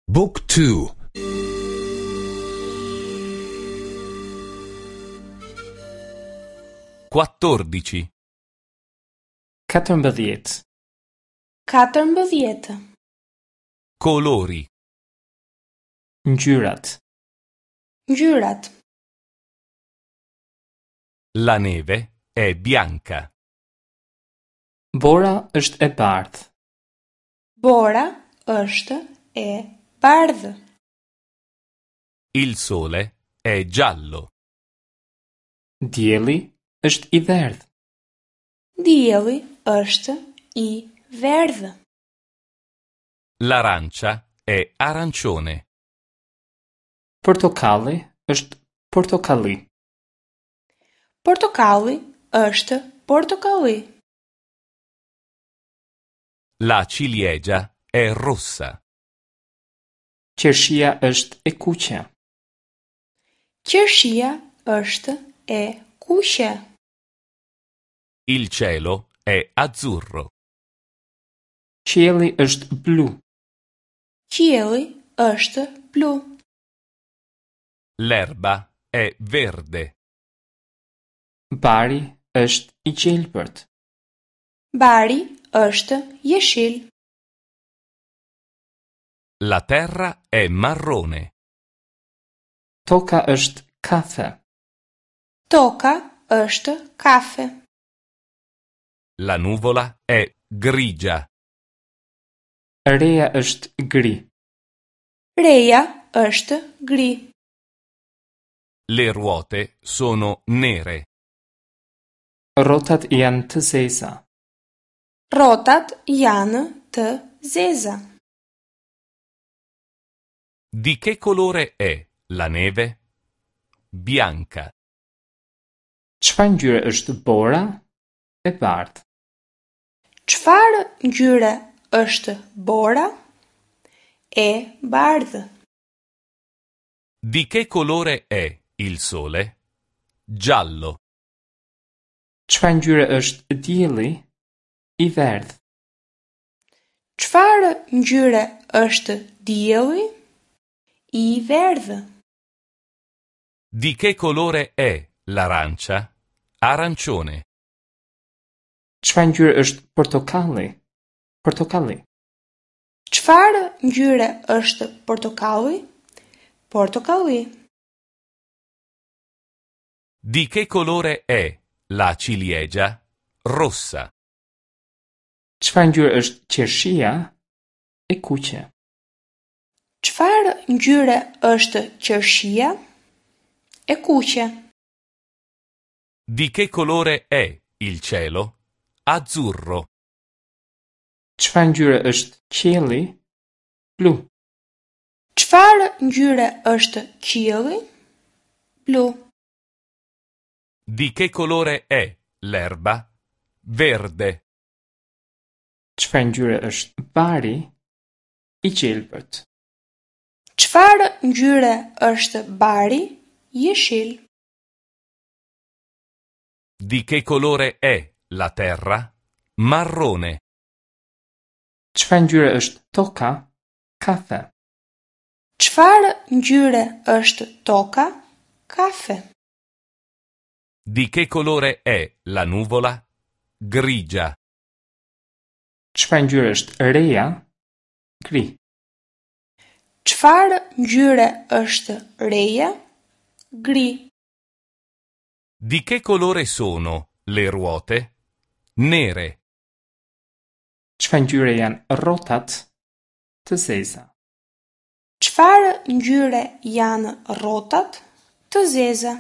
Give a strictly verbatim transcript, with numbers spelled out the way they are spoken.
Book two. Quattordici. Katërmbëdhjetë. Katërmbëdhjetë. Colori. Ngjyrat. Ngjyrat. La neve è bianca. Bora është e bardhë. Bora është e bardhë. Il sole è giallo. Dielli është i verdhë. Dielli është i verdhë. L'arancia è arancione. Portokalli është portokalli. Portokalli është portokalli. La ciliegia è rossa. Qershia është e kuqe. Qershia është e kuqe. Il cielo è azzurro. Qielli është blu. Qielli është blu. L'erba è verde. Bari është i gjelbërt. Bari është jeshil. La terra è marrone. Toka është kafe. Toka është kafe. La nuvola è grigia. Reja është gri. Reja është gri. Le ruote sono nere. Rrotat janë të zeza. Rrotat janë të zeza. Di che colore è la neve? Bianca. Çfarë ngjyre është bora? E bardhë. Çfarë ngjyre është bora? E bardhë. Di che colore è il sole? Giallo. Çfarë ngjyre është dielli? I verdhë. Çfarë ngjyre është dielli? I verdhë. Di che colore è l'arancia? Arancione. Çfarë ngjyre është portokalli? Portokalli. Çfarë ngjyre është portokalli? Portokalli. Di che colore è la ciliegia? Rossa. Çfarë ngjyre është qershia? E kuqe. Çfarë ngjyre është qershia? E kuqe. Di che colore è il cielo? Azzurro. Çfarë ngjyre është qielli? Blu. Çfarë ngjyre është qielli? Blu. Di che colore è l'erba? Verde. Çfarë ngjyre është bari? I gjelbërt. Çfarë ngjyre është bari? Jeshil. Di che colore è la terra? Marrone. Çfarë ngjyre është toka? Kafe. Çfarë ngjyre është toka? Kafe. Di che colore è la nuvola? Grigia. Çfarë ngjyre është reja? Gri. Çfarë ngjyre është reja? Gri. Di che colore sono le ruote? Nere. Çfarë ngjyre janë rrotat? Të zeza. Çfarë ngjyre janë rrotat? Të zeza.